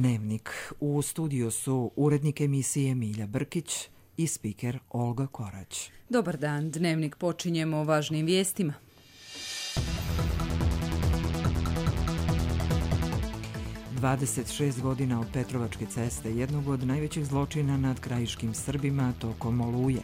Dnevnik. U studiju su urednik emisije Milja Brkić i spiker Olga Korać. Dobar dan, Dnevnik počinjemo važnim vijestima. godina od Petrovačke ceste, jednog od najvećih zločina nad krajiškim Srbima tokom Oluje.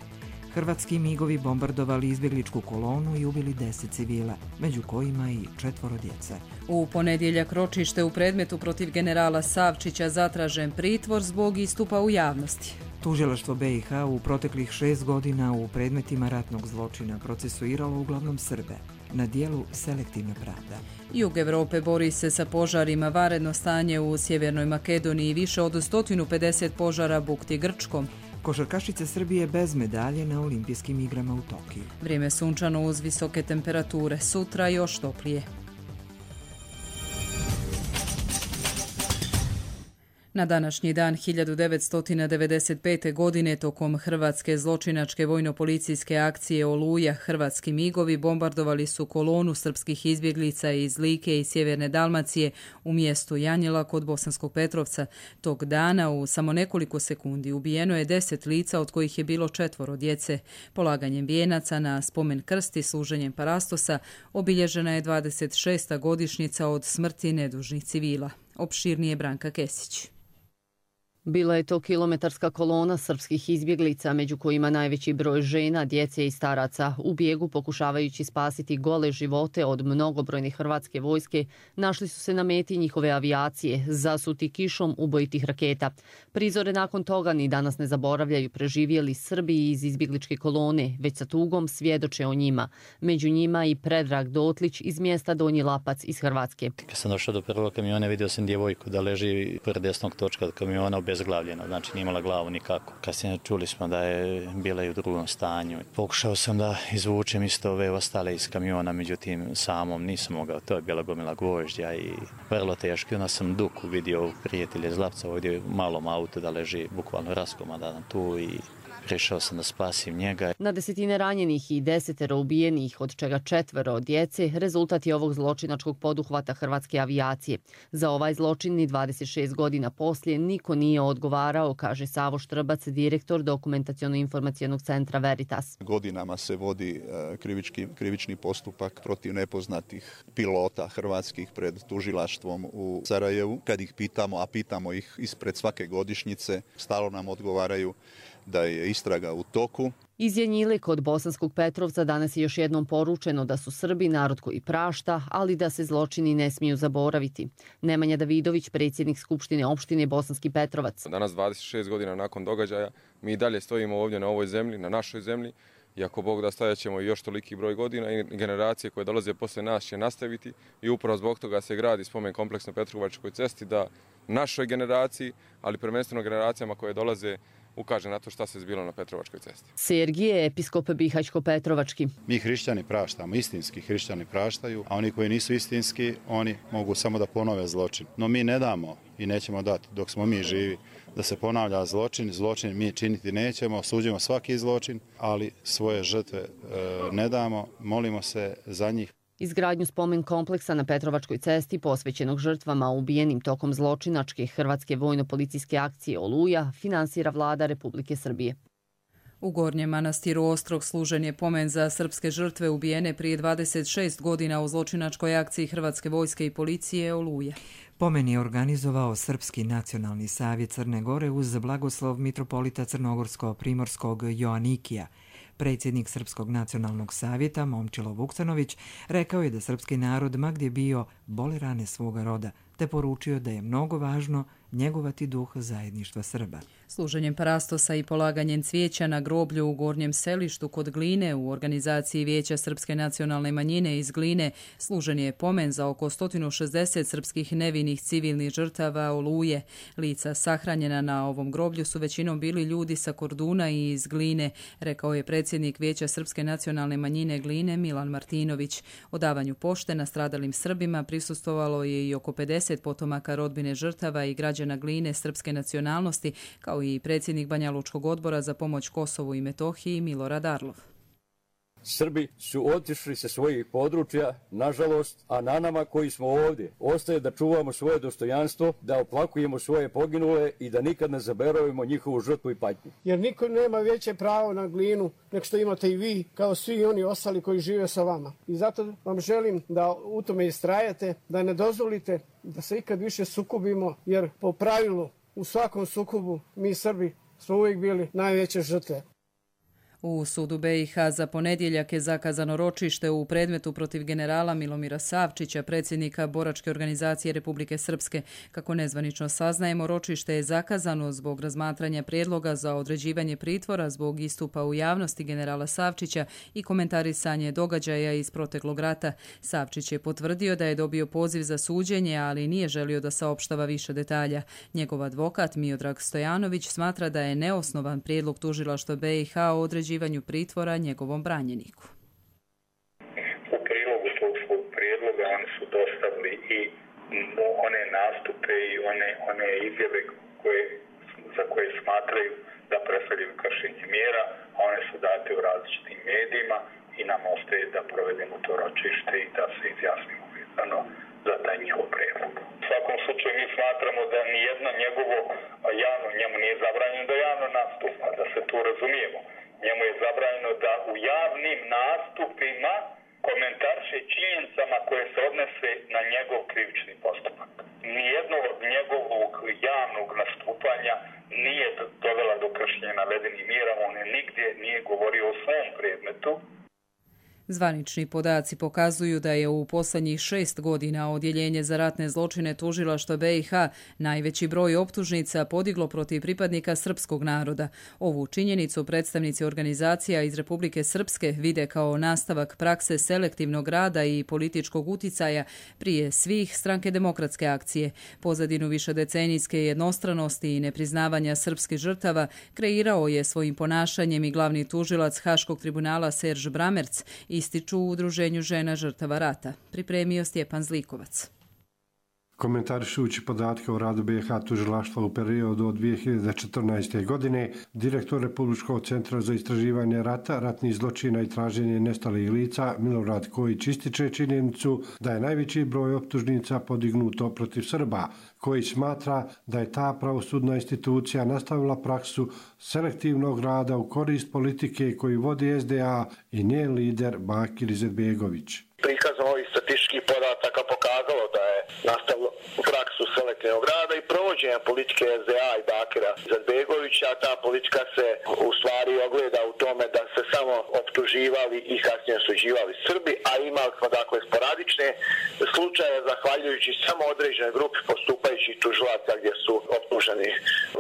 Hrvatski migovi bombardovali izbjegličku kolonu i ubili 10 civila, među kojima i 4 djece. U ponedjeljak ročište u predmetu protiv generala Savčića zatražen pritvor zbog istupa u javnosti. Tužilaštvo BiH u proteklih 6 godina u predmetima ratnog zločina procesuiralo uglavnom Srbe. Na dijelu selektivna pravda. Jug Evrope bori se sa požarima, vanredno stanje u Sjevernoj Makedoniji, više od 150 požara bukti Grčkom. Košarkašice Srbije bez medalje na olimpijskim igrama u Tokiju. Vrijeme sunčano uz visoke temperature, sutra još toplije. Na današnji dan 1995. godine tokom hrvatske zločinačke vojno-policijske akcije Oluja hrvatski migovi bombardovali su kolonu srpskih izbjeglica iz Like i sjeverne Dalmacije u mjestu Janjela kod Bosanskog Petrovca. Tog dana u samo nekoliko sekundi ubijeno je 10 lica od kojih je bilo 4 djece. Polaganjem vijenaca na spomen krst i služenjem parastosa obilježena je 26. godišnjica od smrti nedužnih civila. Opširnije Branka Kesić. Bila je to kilometarska kolona srpskih izbjeglica, među kojima najveći broj žena, djece i staraca. U bijegu pokušavajući spasiti gole živote od mnogobrojne hrvatske vojske, našli su se na meti njihove avijacije, zasuti kišom ubojitih raketa. Prizore nakon toga ni danas ne zaboravljaju preživjeli Srbi iz izbjegličke kolone, već sa tugom svjedoče o njima. Među njima i Predrag Dotlić iz mjesta Donji Lapac iz Hrvatske. Kad sam došao do prvog kamiona, vidio sam djevojku da leži pored desnog točka od kamiona obezglavljena, znači nije imala glavu nikako. Kasnije čuli smo da je bila i u drugom stanju. Pokušao sam da izvučem isto ove ostale iz kamiona, međutim samom nisam mogao. To je bila gomila gvožđa i vrlo teško. Onda sam Duku vidio prijatelje iz Lapca ovdje u malom autu da leži bukvalno raskomadan tu i rešao sam da spasim njega. Na desetine ranjenih i 10 ubijenih, od čega 4 djece, rezultat je ovog zločinačkog poduhvata hrvatske avijacije. Za ovaj zločin ni 26 godina poslije niko nije odgovarao, kaže Savo Štrbac, direktor Dokumentaciono-informacionog centra Veritas. Godinama se vodi krivični postupak protiv nepoznatih pilota hrvatskih pred tužilaštvom u Sarajevu. Kad ih pitamo, a pitamo ih ispred svake godišnjice, stalno nam odgovaraju da je istraga u toku. Iz Janjile kod Bosanskog Petrovca danas je još jednom poručeno da su Srbi narod koji prašta, ali da se zločini ne smiju zaboraviti. Nemanja Davidović, predsjednik Skupštine opštine Bosanski Petrovac. Danas 26 godina nakon događaja mi dalje stojimo ovdje na ovoj zemlji, na našoj zemlji. I ako Bog da, stajat ćemo još toliki broj godina i generacije koje dolaze posle nas će nastaviti i upravo zbog toga se gradi spomen kompleks na Petrovačkoj cesti da našoj generaciji, ali prvenstveno generacijama koje dolaze ukaže na to šta se zbilo na Petrovačkoj cesti. Sergije, episkop Bihaćko-Petrovački. Mi hrišćani praštamo, istinski hrišćani praštaju, a oni koji nisu istinski, oni mogu samo da ponove zločin. No mi ne damo i nećemo dati dok smo mi živi da se ponavlja zločin. Zločin mi činiti nećemo, osuđujemo svaki zločin, ali svoje žrtve ne damo, molimo se za njih. Izgradnju spomen kompleksa na Petrovačkoj cesti posvećenog žrtvama ubijenim tokom zločinačke hrvatske vojno-policijske akcije Oluja finansira vlada Republike Srbije. U Gornjem Manastiru Ostrog služen je pomen za srpske žrtve ubijene prije 26 godina u zločinačkoj akciji Hrvatske vojske i policije Oluja. Pomen je organizovao Srpski nacionalni savjet Crne Gore uz blagoslov mitropolita Crnogorsko-Primorskog Joanikija. Predsjednik Srpskog nacionalnog savjeta Momčilo Vuksanović rekao je da srpski narod ma gdje bio boli rane svoga roda, te poručio da je mnogo važno njegovati duh zajedništva Srba. Služenjem parastosa i polaganjem cvijeća na groblju u Gornjem Selištu kod Gline u organizaciji Vijeća Srpske nacionalne manjine iz Gline služen je pomen za oko 160 srpskih nevinih civilnih žrtava Oluje. Lica sahranjena na ovom groblju su većinom bili ljudi sa Korduna i iz Gline, rekao je predsjednik Vijeća Srpske nacionalne manjine Gline Milan Martinović. O davanju pošte nastradalim Srbima prisustvovalo je i oko 50 potomaka rodbine žrtava i građana Gline srpske nacionalnosti, kao i predsjednik Banja Lučkog odbora za pomoć Kosovu i Metohiji Milorad Arlov. Srbi su otišli sa svojih područja, nažalost, a na nama koji smo ovdje ostaje da čuvamo svoje dostojanstvo, da oplakujemo svoje poginule i da nikad ne zaboravimo njihovu žrtvu i patnju. Jer niko nema veće pravo na Glinu nego što imate i vi, kao svi oni ostali koji žive sa vama. I zato vam želim da u tome istrajate, da ne dozvolite da se ikad više sukobimo, jer po pravilu u svakom sukobu mi Srbi smo uvijek bili najveće žrtve. U sudu BiH za ponedjeljak je zakazano ročište u predmetu protiv generala Milomira Savčića, predsjednika Boračke organizacije Republike Srpske. Kako nezvanično saznajemo, ročište je zakazano zbog razmatranja prijedloga za određivanje pritvora zbog istupa u javnosti generala Savčića i komentarisanje događaja iz proteklog rata. Savčić je potvrdio da je dobio poziv za suđenje, ali nije želio da saopštava više detalja. Njegov advokat Miodrag Stojanović smatra da je neosnovan prijedlog tužilaštva BiH o određivanju pritvora njegovom branjeniku. U prilogu tog svog prijedloga oni su dostavili i one nastupe i one izjave za koje smatraju da predstavljaju kršenje mjera, a one su date u različitim medijima i nam ostaje da provedemo to ročište i da se izjasnimo vezano za taj njihov prijedlog. U svakom slučaju mi smatramo da nijedno njegovo njemu nije zabranjeno da javno nastupa, da se tu razumijemo. Njemu je zabranjeno da u javnim nastupima komentarše činjenicama koje se odnose na njegov krivični postupak. Nijedno od njegovog javnog nastupanja nije dovela do kršenja navedenih mjera, on je nigdje nije govorio o svom predmetu. Zvanični podaci pokazuju da je u posljednjih 6 godina Odjeljenje za ratne zločine tužilaštva BiH najveći broj optužnica podiglo protiv pripadnika srpskog naroda. Ovu činjenicu predstavnici organizacija iz Republike Srpske vide kao nastavak prakse selektivnog rada i političkog uticaja prije svih Stranke demokratske akcije. Pozadinu višedecenijske jednostranosti i nepriznavanja srpskih žrtava kreirao je svojim ponašanjem i glavni tužilac Haškog tribunala Serž Bramerc, ističu u Udruženju žena žrtava rata. Pripremio Stjepan Zlikovac. Komentarišući podatke o radu BiH tužilaštva u periodu od 2014. godine, direktor Republičkog centra za istraživanje rata, ratnih zločina i traženje nestalih lica Milorad Kojić ističe činjenicu da je najveći broj optužnica podignuto protiv Srba, koji smatra da je ta pravosudna institucija nastavila praksu selektivnog rada u korist politike koju vodi SDA i njen lider Bakir Izetbegović. Prikazom ovih statističkih podataka pokazalo da je nastavilo praksu selektivnog rada i provođenja politike SDA i Bakira Izetbegovića. Ta politika se u stvari ogleda u tome da se samo optuživali i kasnije osuđivali Srbi, a imali smo dakle sporadične slučaje zahvaljujući samo određenoj grupi postupajućih tužilaca gdje su optuženi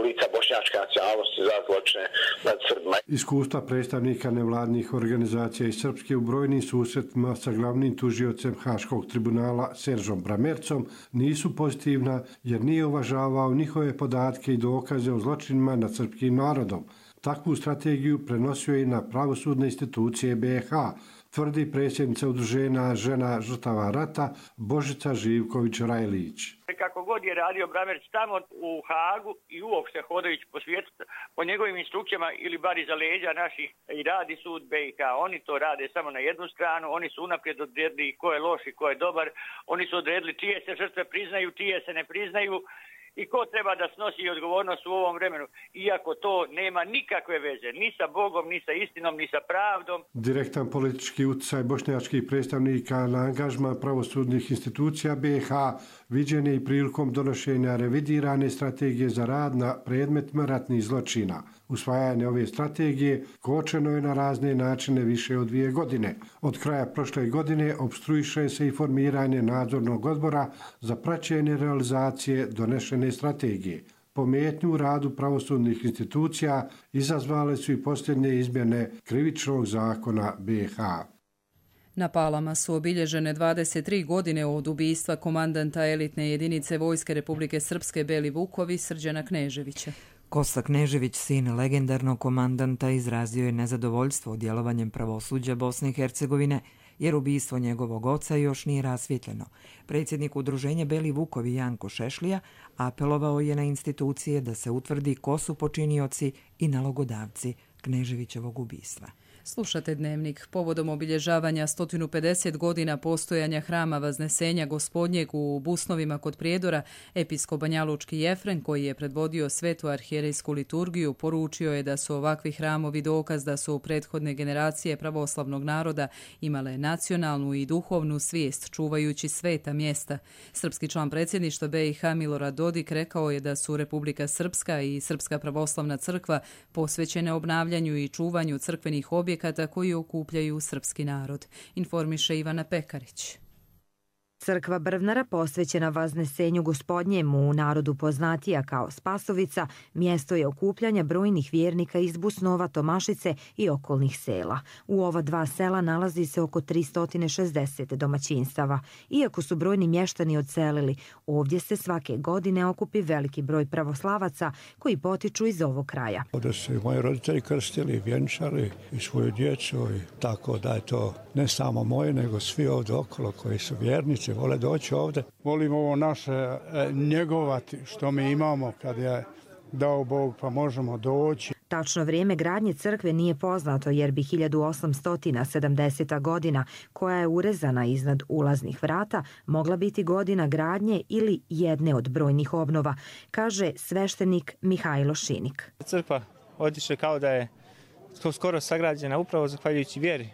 lica bošnjačke nacionalnosti za zločine nad Srbima. Iskustva predstavnika nevladnih organizacija iz Srpske u brojnim susretima sa glavnim tužiocem Haškog tribunala Seržom Bramercom nisu pozitivna jer nije uvažavao njihove podatke i dokaze o zločinima nad srpskim narodom. Takvu strategiju prenosio je na pravosudne institucije BiH, tvrdi predsjednica Udruženja žena žrtava rata Božica Živković-Rajlić. Kako god je radio Bramerc tamo u Hagu i uopšte hodajući po svijetu, po njegovim instrukcijama ili bar iza leđa naših i radi sud BiH. Oni to rade samo na jednu stranu, oni su unaprijed odredili ko je loš i ko je dobar, oni su odredili čije se žrtve priznaju, čije se ne priznaju i ko treba da snosi odgovornost u ovom vremenu, iako to nema nikakve veze ni sa Bogom, ni sa istinom, ni sa pravdom. Direktan politički utjecaj bošnjačkih predstavnika na angažman pravosudnih institucija BiH viđen je i prilikom donošenja revidirane strategije za rad na predmetima ratnih zločina. Usvajanje ove strategije kočeno je na razne načine više od 2 godine. Od kraja prošle godine opstruiše se i formiranje nadzornog odbora za praćenje realizacije donešene strategije. Pometnju u radu pravosudnih institucija izazvale su i posljednje izmjene krivičnog zakona BiH. Na Palama su obilježene 23 godine od ubistva komandanta elitne jedinice Vojske Republike Srpske Beli Vukovi Srđana Kneževića. Kosta Knežević, sin legendarnog komandanta, izrazio je nezadovoljstvo djelovanjem pravosuđa Bosne i Hercegovine, jer ubistvo njegovog oca još nije rasvjetljeno. Predsjednik udruženja Beli Vukovi Janko Šešlija apelovao je na institucije da se utvrdi ko su počinioci i nalogodavci Kneževićevog ubistva. Slušate Dnevnik. Povodom obilježavanja 150 godina postojanja hrama Vaznesenja Gospodnjeg u Busnovima kod Prijedora, episkop banjalučki Jefren, koji je predvodio svetu arhijerejsku liturgiju, poručio je da su ovakvi hramovi dokaz da su prethodne generacije pravoslavnog naroda imale nacionalnu i duhovnu svijest, čuvajući sveta mjesta. Srpski član predsjedništva BiH Milorad Dodik rekao je da su Republika Srpska i Srpska pravoslavna crkva posvećene obnavljanju i čuvanju crkvenih objekata koji okupljaju srpski narod, informiše Ivana Pekarić. Crkva Brvnara posvećena Vaznesenju Gospodnjemu, u narodu poznatija kao Spasovica, mjesto je okupljanja brojnih vjernika iz Busnova, Tomašice i okolnih sela. U ova dva sela nalazi se oko 360 domaćinstava. Iako su brojni mještani odselili, ovdje se svake godine okupi veliki broj pravoslavaca koji potiču iz ovog kraja. Ovdje su i moji roditelji krstili, vjenčali i svoju djecu, tako da je to ne samo moje, nego svi ovdje okolo koji su vjernici, vole doći ovdje. Volim ovo naše njegovati što mi imamo kad je dao Bog pa možemo doći. Tačno vrijeme gradnje crkve nije poznato jer bi 1870. godina, koja je urezana iznad ulaznih vrata, mogla biti godina gradnje ili jedne od brojnih obnova, kaže sveštenik Mihajlo Šinik. Crkva odiše kao da je skoro sagrađena upravo zahvaljujući vjeri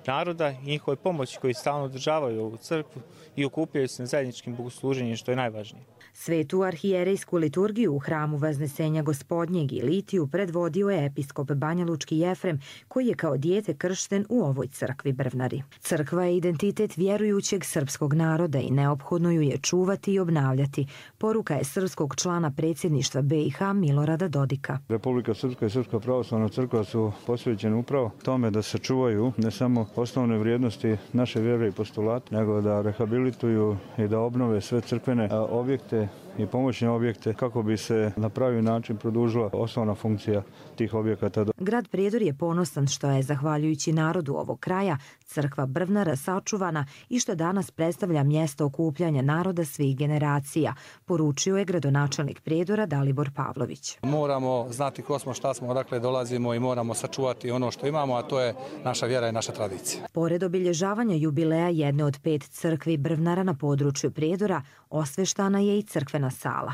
naroda i njihovoj pomoći koji stalno održavaju ovu crkvu i okupljaju se na zajedničkim bogosluženjem, što je najvažnije. Svetu arhijerejsku liturgiju u hramu Vaznesenja Gospodnjeg i litiju predvodio je episkop banjalučki Jefrem, koji je kao dijete kršten u ovoj crkvi Brvnari. Crkva je identitet vjerujućeg srpskog naroda i neophodno ju je čuvati i obnavljati. Poruka je srpskog člana predsjedništva BiH Milorada Dodika. Republika Srpska i Srpska pravoslavna crkva su posvećene upravo tome da se čuvaju ne samo osnovne vrijednosti naše vjere i postulata, nego da rehabilituju i da obnove sve crkvene objekte i pomoćne objekte kako bi se na pravi način produžila osnovna funkcija tih objekata. Grad Prijedor je ponosan što je, zahvaljujući narodu ovog kraja, crkva Brvnara sačuvana i što danas predstavlja mjesto okupljanja naroda svih generacija, poručio je gradonačelnik Prijedora Dalibor Pavlović. Moramo znati ko smo, šta smo, odakle dolazimo i moramo sačuvati ono što imamo, a to je naša vjera i naša tradicija. Pored obilježavanja jubileja jedne od 5 crkvi Brvnara na području Prijedora, osveštana je i crkvena sala.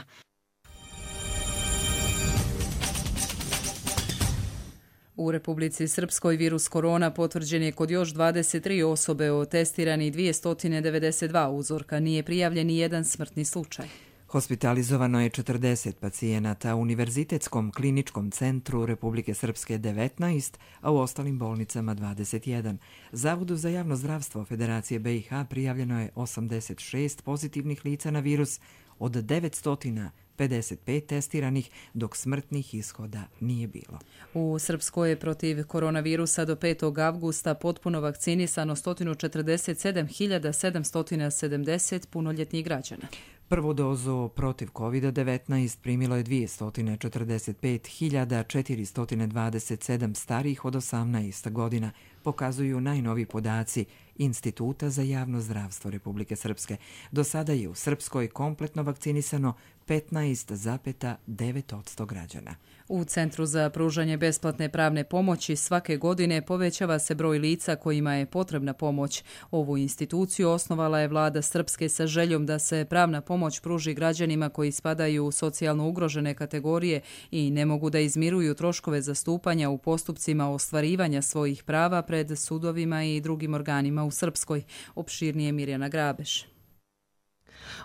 U Republici Srpskoj virus korona potvrđen je kod još 23 osobe, od testirani 292 uzorka. Nije prijavljen ni jedan smrtni slučaj. Hospitalizovano je 40 pacijenata, u Univerzitetskom kliničkom centru Republike Srpske 19, a u ostalim bolnicama 21. Zavodu za javno zdravstvo Federacije BiH prijavljeno je 86 pozitivnih lica na virus, od 955 testiranih, dok smrtnih ishoda nije bilo. U Srpskoj je protiv koronavirusa do 5. avgusta potpuno vakcinisano 147.770 punoljetnih građana. Prvu dozu protiv COVID-19 primilo je 245.427 starijih od 18 godina, pokazuju najnoviji podaci Instituta za javno zdravstvo Republike Srpske. Do sada je u Srpskoj kompletno vakcinisano 15,9% građana. U Centru za pružanje besplatne pravne pomoći svake godine povećava se broj lica kojima je potrebna pomoć. Ovu instituciju osnovala je vlada Srpske sa željom da se pravna pomoć pruži građanima koji spadaju u socijalno ugrožene kategorije i ne mogu da izmiruju troškove zastupanja u postupcima ostvarivanja svojih prava pred sudovima i drugim organima u Srpskoj. Opširnije Mirjana Grabeš.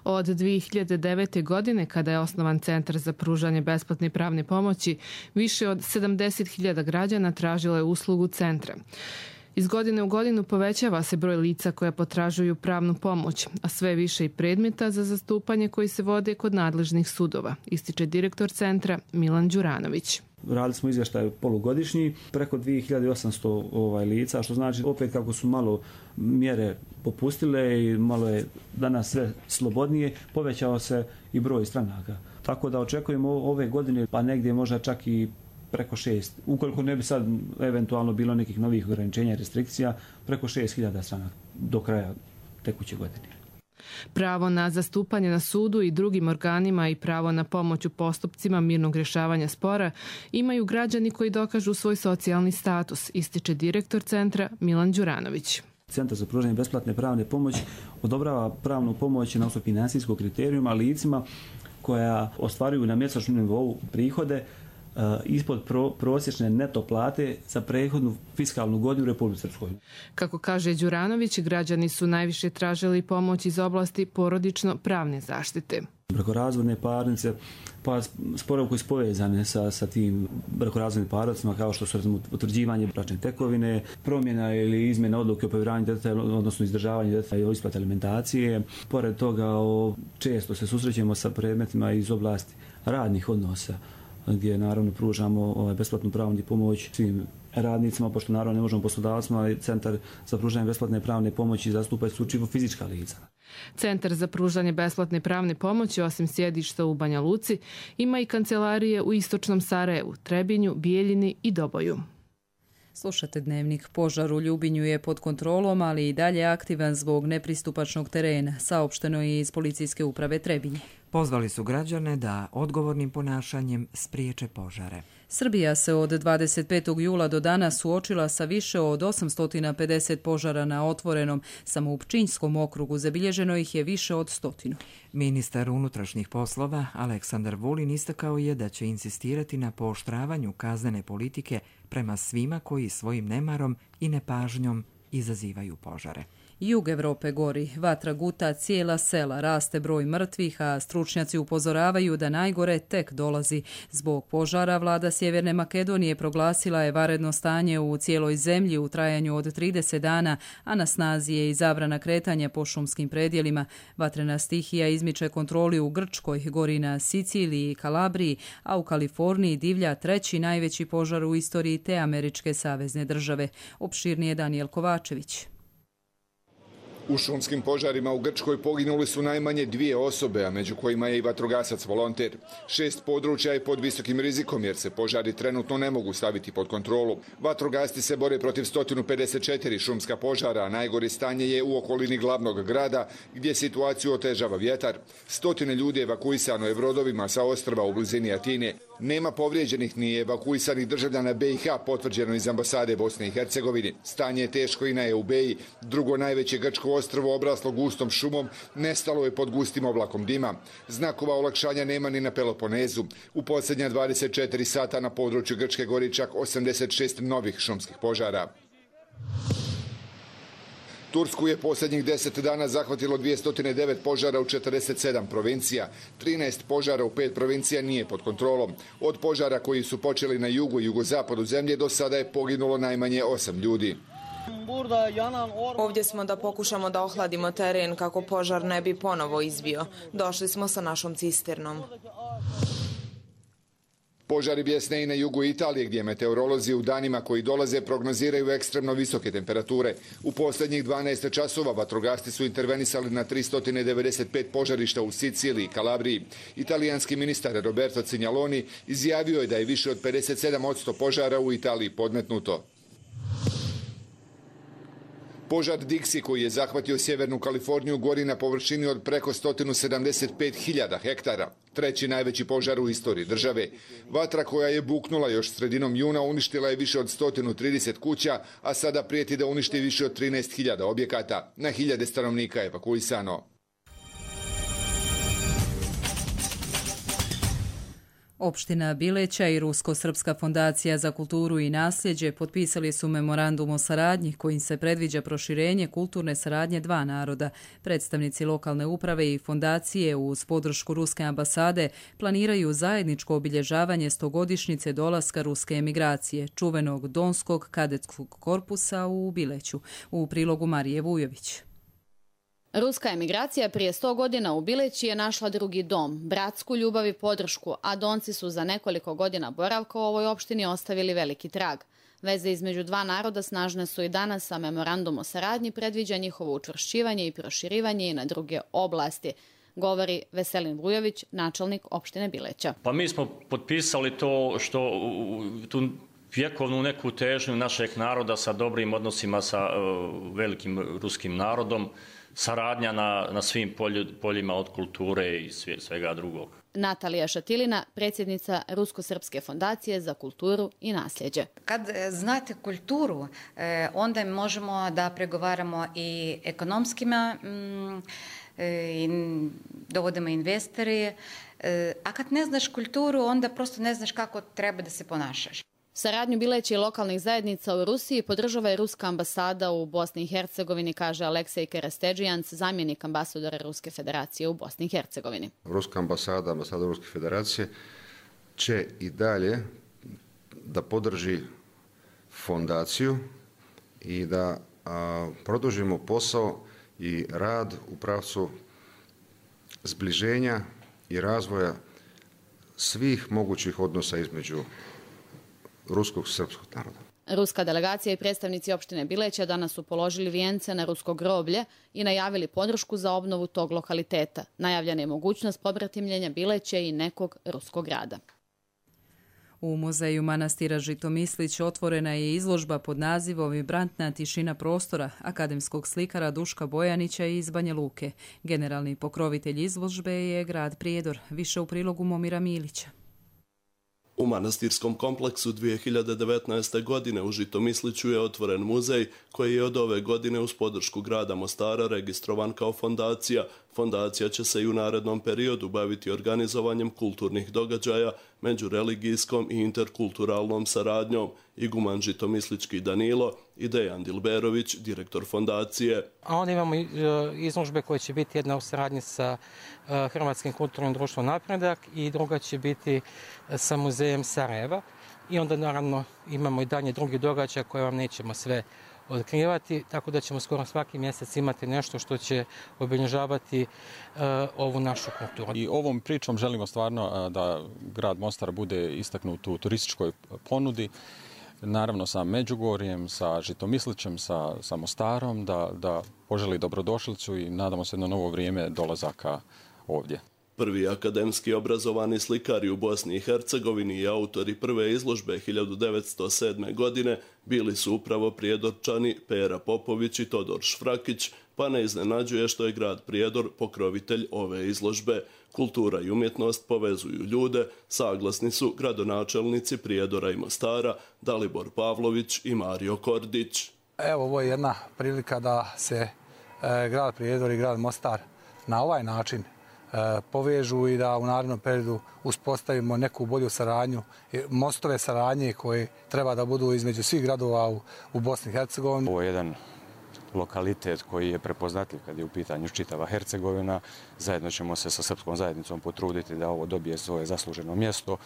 Od 2009. godine, kada je osnovan Centar za pružanje besplatne pravne pomoći, više od 70.000 građana tražilo je uslugu centra. Iz godine u godinu povećava se broj lica koja potražuju pravnu pomoć, a sve više i predmeta za zastupanje koji se vode kod nadležnih sudova, ističe direktor centra Milan Đuranović. Radili smo izvještaj polugodišnji, preko 2800 lica, što znači opet kako su malo mjere popustile i malo je danas sve slobodnije, povećao se i broj stranaka. Tako da očekujemo ove godine, pa negdje možda čak i preko 6, ukoliko ne bi sad eventualno bilo nekih novih ograničenja i restrikcija, preko 6.000 stranaka do kraja tekuće godine. Pravo na zastupanje na sudu i drugim organima i pravo na pomoć u postupcima mirnog rješavanja spora imaju građani koji dokažu svoj socijalni status, ističe direktor centra Milan Đuranović. Centar za pružanje besplatne pravne pomoći odobrava pravnu pomoć na osnovu finansijskog kriterijuma licima koja ostvaruju na mjesečnom nivou prihode ispod prosječne neto plate za prethodnu fiskalnu godinu u Republici Srpskoj. Kako kaže Đuranović, građani su najviše tražili pomoć iz oblasti porodično-pravne zaštite. Brakorazvodne parnice, pa sporovi koji su povezane sa tim brakorazvodnim parnicama, kao što su utvrđivanje bračne tekovine, promjena ili izmjena odluke o povjeravanju djeteta, odnosno izdržavanje djeteta i isplate alimentacije. Pored toga, često se susrećemo sa predmetima iz oblasti radnih odnosa, gdje naravno pružamo besplatnu pravnu pomoć svim radnicima, pošto naravno ne možemo poslodavcima, Centar za pružanje besplatne pravne pomoći zastupa isključivo fizička lica. Centar za pružanje besplatne pravne pomoći, osim sjedišta u Banja Luci, ima i kancelarije u istočnom Sarajevu, Trebinju, Bijeljini i Doboju. Slušate Dnevnik. Požar u Ljubinju je pod kontrolom, ali i dalje aktivan zbog nepristupačnog terena, saopšteno je iz policijske uprave Trebinje. Pozvali su građane da odgovornim ponašanjem spriječe požare. Srbija se od 25. jula do danas suočila sa više od 850 požara na otvorenom. Samo u Pčinjskom okrugu zabilježeno ih je više od 100. Ministar unutrašnjih poslova Aleksandar Vulin istakao je da će insistirati na pooštravanju kaznene politike prema svima koji svojim nemarom i nepažnjom izazivaju požare. Jug Evrope gori, vatra guta cijela sela, raste broj mrtvih, a stručnjaci upozoravaju da najgore tek dolazi. Zbog požara vlada Sjeverne Makedonije proglasila je vanredno stanje u cijeloj zemlji u trajanju od 30 dana, a na snazi je i zabrana kretanja po šumskim predjelima. Vatrena stihija izmiče kontroli u Grčkoj, gori na Siciliji i Kalabriji, a u Kaliforniji divlja treći najveći požar u istoriji te američke savezne države. Opširnije Danijel Kovačević. U šumskim požarima u Grčkoj poginuli su najmanje 2 osobe, a među kojima je i vatrogasac volonter. 6 područja je pod visokim rizikom jer se požari trenutno ne mogu staviti pod kontrolu. Vatrogasci se bore protiv 154 šumska požara, a najgore stanje je u okolini glavnog grada gdje situaciju otežava vjetar. 100 ljudi evakuisano je brodovima sa ostrva u blizini Atine. Nema povrijeđenih ni evakuisanih državljana BiH, potvrđeno iz ambasade Bosne i Hercegovine. Stanje je teško i na Eubeji, drugo najveće grčko ostrvo obraslo gustom šumom, nestalo je pod gustim oblakom dima. Znakova olakšanja nema ni na Peloponezu. U posljednja 24 sata na području Grčke gori čak 86 novih šumskih požara. Tursku je posljednjih 10 dana zahvatilo 209 požara u 47 provincija. 13 požara u 5 provincija nije pod kontrolom. Od požara koji su počeli na jugu i jugozapadu zemlje do sada je poginulo najmanje 8 ljudi. Ovdje smo da pokušamo da ohladimo teren kako požar ne bi ponovo izbio. Došli smo sa našom cisternom. Požari bjesne i na jugu Italije gdje meteorolozi u danima koji dolaze prognoziraju ekstremno visoke temperature. U posljednjih 12 časova vatrogasci su intervenisali na 395 požarišta u Siciliji i Kalabriji. Italijanski ministar Roberto Cignaloni izjavio je da je više od 57% požara u Italiji podmetnuto. Požar Dixi koji je zahvatio sjevernu Kaliforniju gori na površini od preko 175.000 hektara. Treći najveći požar u istoriji države. Vatra koja je buknula još sredinom juna uništila je više od 130 kuća, a sada prijeti da uništi više od 13.000 objekata. Na hiljade stanovnika evakuisano. Opština Bileća i Rusko-Srpska fondacija za kulturu i nasljeđe potpisali su memorandum o saradnji kojim se predviđa proširenje kulturne saradnje dva naroda. Predstavnici lokalne uprave i fondacije uz podršku Ruske ambasade planiraju zajedničko obilježavanje 100-godišnjice dolaska ruske emigracije, čuvenog Donskog kadetskog korpusa u Bileću. U prilogu Marije Vujović. Ruska emigracija prije 100 godina u Bileći je našla drugi dom, bratsku ljubav i podršku, a Donci su za nekoliko godina boravka u ovoj opštini ostavili veliki trag. Veze između dva naroda snažne su i danas, a memorandum o saradnji predviđa njihovo učvršćivanje i proširivanje i na druge oblasti, govori Veselin Vujović, načelnik opštine Bileća. Pa mi smo potpisali to što tu vjekovnu neku težnju našeg naroda sa dobrim odnosima sa velikim ruskim narodom. saradnja na svim poljima od kulture i svega drugog. Natalija Šatilina, predsjednica Rusko-srpske fondacije za kulturu i nasljeđe. Kad znate kulturu, onda možemo da pregovaramo i ekonomskima, i dovodimo investori, a kad ne znaš kulturu, onda prosto ne znaš kako treba da se ponašaš. Saradnju Bileća i lokalnih zajednica u Rusiji podržava i Ruska ambasada u Bosni i Hercegovini, kaže Aleksej Kerastedžijans, zamjenik ambasadora Ruske federacije u Bosni i Hercegovini. Ruska ambasada Ruske federacije će i dalje da podrži fondaciju i da produžimo posao i rad u pravcu zbliženja i razvoja svih mogućih odnosa između ruskog i srpskog naroda. Ruska delegacija i predstavnici opštine Bileća danas su položili vijence na rusko groblje i najavili podršku za obnovu tog lokaliteta. Najavljena je mogućnost pobratimljenja Bileća i nekog ruskog grada. U muzeju manastira Žitomislić otvorena je izložba pod nazivom Vibrantna tišina prostora akademskog slikara Duška Bojanića iz Banja Luke. Generalni pokrovitelj izložbe je grad Prijedor. Više u prilogu Momira Milića. U manastirskom kompleksu 2019. godine u Žitomisliću je otvoren muzej koji je od ove godine uz podršku grada Mostara registrovan kao fondacija. Fondacija će se i u narednom periodu baviti organizovanjem kulturnih događaja, međureligijskom i interkulturalnom saradnjom. Iguman Žitomislički Danilo i Dejan Dilberović, direktor fondacije. A onda imamo izložbe koje će biti jedna u saradnji sa Hrvatskim kulturnim društvom Napredak i druga će biti sa muzejem Sarajeva. I onda naravno imamo i dalje drugi događaj koje vam nećemo sve otkrivati, tako da ćemo skoro svaki mjesec imati nešto što će obilježavati ovu našu kulturu. I ovom pričom želimo stvarno da grad Mostar bude istaknut u turističkoj ponudi, naravno sa Međugorjem, sa Žitomislićem, sa Mostarom, da poželi dobrodošlicu i nadamo se na novo vrijeme dolazaka ovdje. Prvi akademski obrazovani slikari u Bosni i Hercegovini i autori prve izložbe 1907. godine bili su upravo Prijedorčani Pera Popović i Todor Šfrakić, pa ne iznenađuje što je grad Prijedor pokrovitelj ove izložbe. Kultura i umjetnost povezuju ljude, saglasni su gradonačelnici Prijedora i Mostara Dalibor Pavlović i Mario Kordić. Evo, ovo je jedna prilika da se grad Prijedor i grad Mostar na ovaj način povežu i da u narednom periodu uspostavimo neku bolju saradnju, mostove saradnje koje treba da budu između svih gradova u Bosni i Hercegovini. Ovo je jedan lokalitet koji je prepoznatljiv kad je u pitanju čitava Hercegovina. Zajedno ćemo se sa srpskom zajednicom potruditi da ovo dobije svoje zasluženo mjesto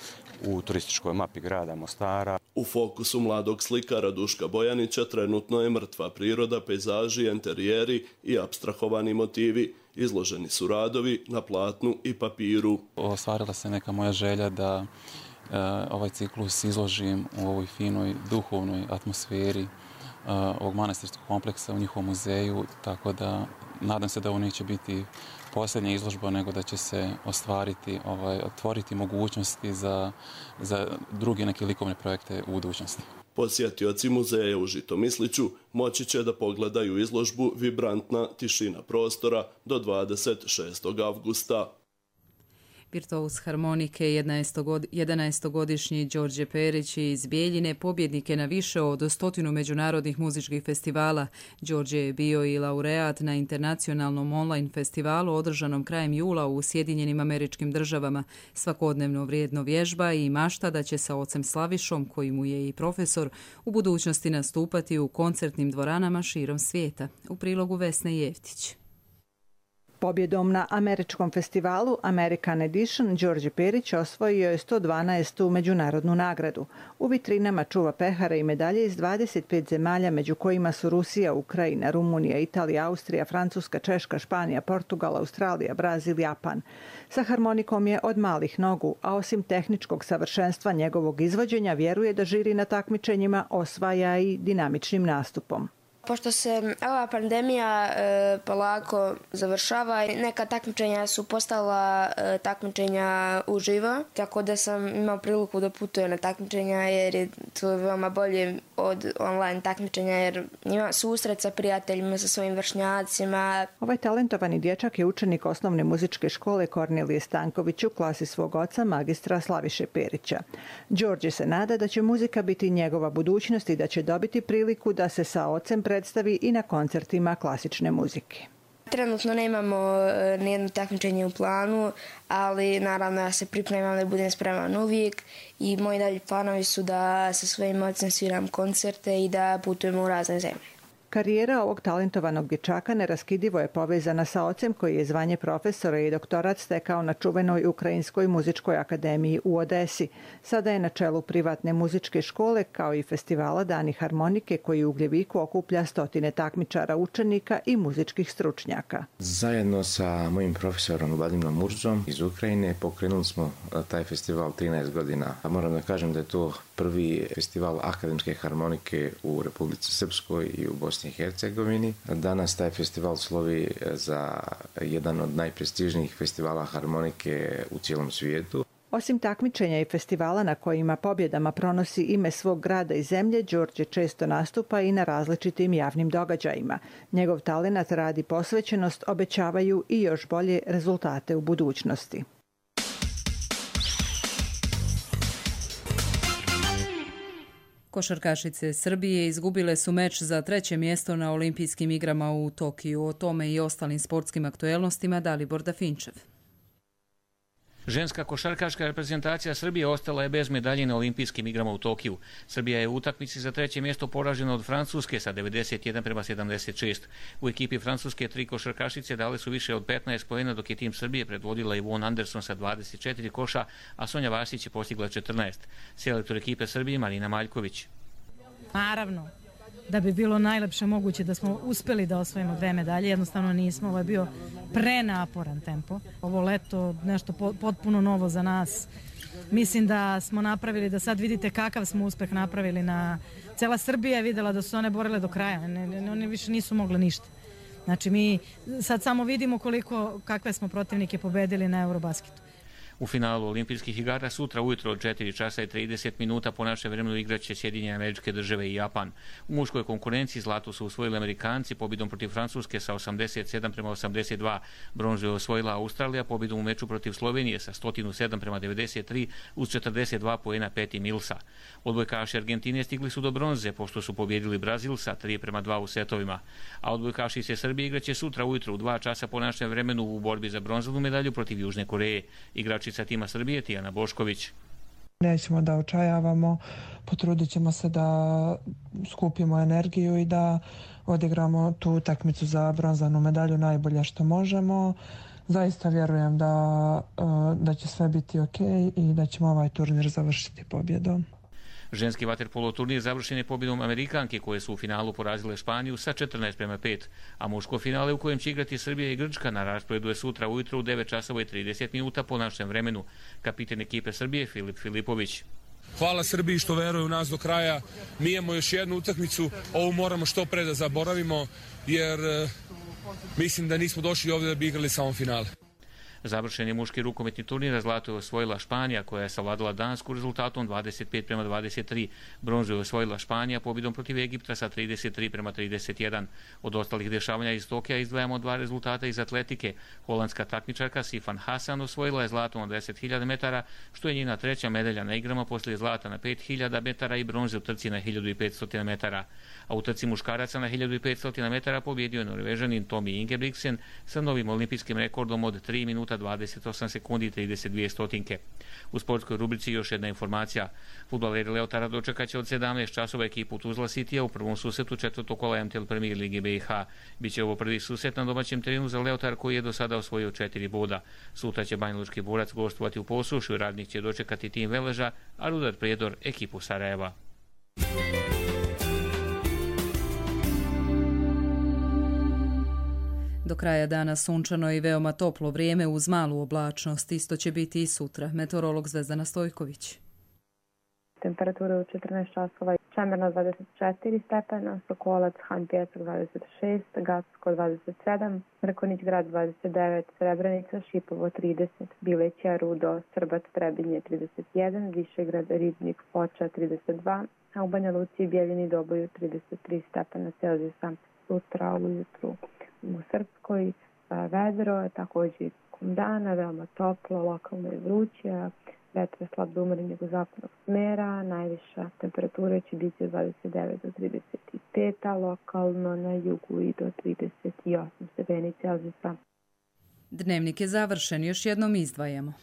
u turističkoj mapi grada Mostara. U fokusu mladog slikara Duška Bojanića trenutno je mrtva priroda, pejzaži, enterijeri i apstrahovani motivi. Izloženi su radovi na platnu i papiru. Ostvarila se neka moja želja da ovaj ciklus izložim u ovoj finoj duhovnoj atmosferi ovog manastirskog kompleksa u njihovom muzeju, tako da nadam se da ovo neće biti posljednja izložba, nego da će se otvoriti mogućnosti za druge neke likovne projekte u budućnosti. Posjetioci muzeja u Žitomisliću moći će da pogledaju izložbu Vibrantna tišina prostora do 26. avgusta. Virtuos harmonike 11-godišnji Đorđe Perić iz Bijeljine pobjednik je na više od 100 međunarodnih muzičkih festivala. Đorđe je bio i laureat na internacionalnom online festivalu održanom krajem jula u Sjedinjenim Američkim Državama. Svakodnevno vrijedno vježba i mašta da će sa ocem Slavišom, koji mu je i profesor, u budućnosti nastupati u koncertnim dvoranama širom svijeta. U prilogu Vesne Jeftić. Pobjedom na američkom festivalu American Edition Đorđe Perić osvojio je 112. međunarodnu nagradu. U vitrinama čuva pehare i medalje iz 25 zemalja, među kojima su Rusija, Ukrajina, Rumunija, Italija, Austrija, Francuska, Češka, Španija, Portugal, Australija, Brazil, Japan. Sa harmonikom je od malih nogu, a osim tehničkog savršenstva njegovog izvođenja, vjeruje da žiri na takmičenjima osvaja i dinamičnim nastupom. Pošto se ova pandemija polako završava, neka takmičenja su postala takmičenja uživo, tako da sam imao priliku da putujem na takmičenja jer je to veoma bolje od online takmičenja jer ima susret sa prijateljima, sa svojim vršnjacima. Ovaj talentovani dječak je učenik osnovne muzičke škole Kornelije Stanković u klasi svog oca magistra Slaviše Perića. Đorđe se nada da će muzika biti njegova budućnost i da će dobiti priliku da se sa ocem predstavi i na koncertima klasične muzike. Trenutno nemamo nijedno takmičenje u planu, ali naravno ja se pripremam da budem spreman uvijek i moji dalji planovi su da sa svojim ocem sviram koncerte i da putujemo u razne zemlje. Karijera ovog talentovanog dječaka neraskidivo je povezana sa ocem koji je zvanje profesora i doktorat stekao na čuvenoj Ukrajinskoj muzičkoj akademiji u Odesi. Sada je na čelu privatne muzičke škole kao i festivala Dani harmonike koji u Ugljeviku okuplja stotine takmičara, učenika i muzičkih stručnjaka. Zajedno sa mojim profesorom Vladimirom Murzom iz Ukrajine pokrenuli smo taj festival 13 godina. Moram da kažem da je to prvi festival akademske harmonike u Republici Srpskoj i u Bosni i Hercegovini. Danas taj festival slovi za jedan od najprestižnijih festivala harmonike u cijelom svijetu. Osim takmičenja i festivala na kojima pobjedama pronosi ime svog grada i zemlje, Đorđe često nastupa i na različitim javnim događajima. Njegov talenat, rad i posvećenost obećavaju i još bolje rezultate u budućnosti. Košarkašice Srbije izgubile su meč za 3. mjesto na Olimpijskim igrama u Tokiju. O tome i ostalim sportskim aktuelnostima Dalibor Dafinčev. Ženska košarkaška reprezentacija Srbije ostala je bez medalje na Olimpijskim igrama u Tokiju. Srbija je u utakmici za 3. mjesto poražena od Francuske sa 91-76. U ekipi Francuske 3 košarkašice dale su više od 15 poena, dok je tim Srbije predvodila Ivonne Anderson sa 24 koša, a Sonja Vasić je postigla 14. Selektor ekipe Srbije Marina Maljković. Naravno, da bi bilo najlepše moguće da smo uspeli da osvojimo 2 medalje, jednostavno nismo. Ovo je bio prenaporan tempo. Ovo leto nešto potpuno novo za nas. Mislim da smo napravili, da sad vidite kakav smo uspeh napravili. Cela Srbija je videla da su one borile do kraja. One više nisu mogle ništa. Znači mi sad samo vidimo kakve smo protivnike pobedili na Eurobasketu. U finalu Olimpijskih igara sutra ujutro od 4 časa i 30 minuta po našem vremenu igraće Sjedinjene Američke Države i Japan. U muškoj konkurenciji zlato su osvojili Amerikanci pobjedom protiv Francuske sa 87-82. Bronzu je osvojila Australija pobjedom u meču protiv Slovenije sa 107-93 uz 42 poena Peti Millsa. Odbojkaši Argentine stigli su do bronze pošto su pobjedili Brazil sa 3-2 u setovima. A odbojkaši se Srbije igraće sutra ujutro u 2 časa po našem vremenu u borbi za bronzanu medalju protiv Južne Koreje. Igračica tima Srbije Tijana Bošković. Nećemo da očajavamo, potrudit ćemo se da skupimo energiju i da odigramo tu utakmicu za bronzanu medalju najbolje što možemo. Zaista vjerujem da će sve biti ok i da ćemo ovaj turnir završiti pobjedom. Ženski vaterpolo turnir završen je pobjedom Amerikanke koje su u finalu porazile Španiju sa 14-5, a muško finale u kojem će igrati Srbija i Grčka na rasporedu je sutra ujutro u 9 časova i 30 minuta po našem vremenu. Kapiten ekipe Srbije Filip Filipović. Hvala Srbiji što veruje u nas do kraja. Mi imamo još jednu utakmicu, ovu moramo što pre da zaboravimo jer mislim da nismo došli ovdje da bi igrali samo finale. Završen je muški rukometni turnir, zlato je osvojila Španija koja je savladala Dansku rezultatom 25-23. Bronzu je osvojila Španija pobjedom protiv Egipta sa 33-31. Od ostalih dešavanja iz Tokija izdvajamo 2 rezultata iz atletike. Holandska takmičarka Sifan Hasan osvojila je zlato na 10.000 metara, što je njena 3. medalja na igrama poslije zlata na 5.000 metara i bronze u trci na 1.500 metara. A u trci muškaraca na 1.500 metara pobjedio je Norvežanin Tommy Ingebrigtsen sa novim olimpijskim rekordom od 3 minuta 28 sekundi i 32 stotinke. U sportskoj rubrici još jedna informacija. Fudbaleri Leotara dočekaće od 17 časova ekipu Tuzla Citya u prvom susretu 4. kola MTL Premier Lige BiH. Biće ovo prvi susret na domaćem terenu za Leotar koji je do sada osvojio 4 boda. Sutra će Banjalučki Borac gostovati u Posušju, Radnik će dočekati tim Veleža, a Rudar Prijedor ekipu Sarajeva. Do kraja dana sunčano i veoma toplo vrijeme uz malu oblačnost. Isto će biti i sutra. Meteorolog Zvezdana Stojković. temperatura u 14 časova, Čemerna 24 stepena, Sokolac, Han Pjesak 26, Gacko 27, Mrkonić grad 29, Srebrenica, Šipovo 30, Bileća, Rudo, Srbac, Trebinje 31, Višegrad, Ribnik, Foča 32, a u Banja Luci i Bijeljini Doboju 33 stepena Celzijusa. Sutra ujutru u Srpskoj vedro, također dana, veoma toplo, lokalno je vruće, vetar slab do umerenog jugozapadnog smera, najviša temperatura će biti od 29 do 35, a lokalno na jugu i do 38 stepeni Celzijusa. Dnevnik je završen, još jednom izdvajamo.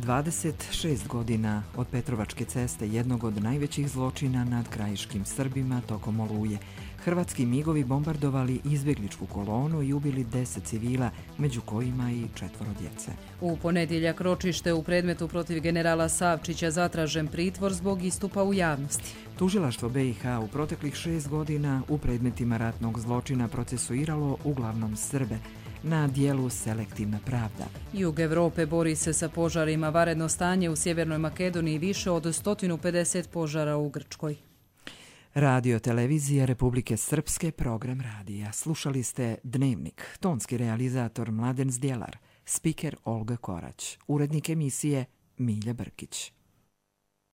...26 godina od Petrovačke ceste, jednog od najvećih zločina nad krajiškim Srbima tokom Oluje. Hrvatski migovi bombardovali izbjegličku kolonu i ubili 10 civila, među kojima i 4 djece. U ponedjeljak ročište u predmetu protiv generala Savčića zatražen pritvor zbog istupa u javnosti. Tužilaštvo BiH u proteklih 6 godina u predmetima ratnog zločina procesuiralo uglavnom Srbe. Na dijelu selektivna pravda. Jug Evrope bori se sa požarima, vanredno stanje u Sjevernoj Makedoniji, više od 150 požara u Grčkoj. Radio televizija Republike Srpske, program radija. Slušali ste Dnevnik, tonski realizator Mladen Zdjelar, spiker Olga Korać, urednik emisije Milja Brkić.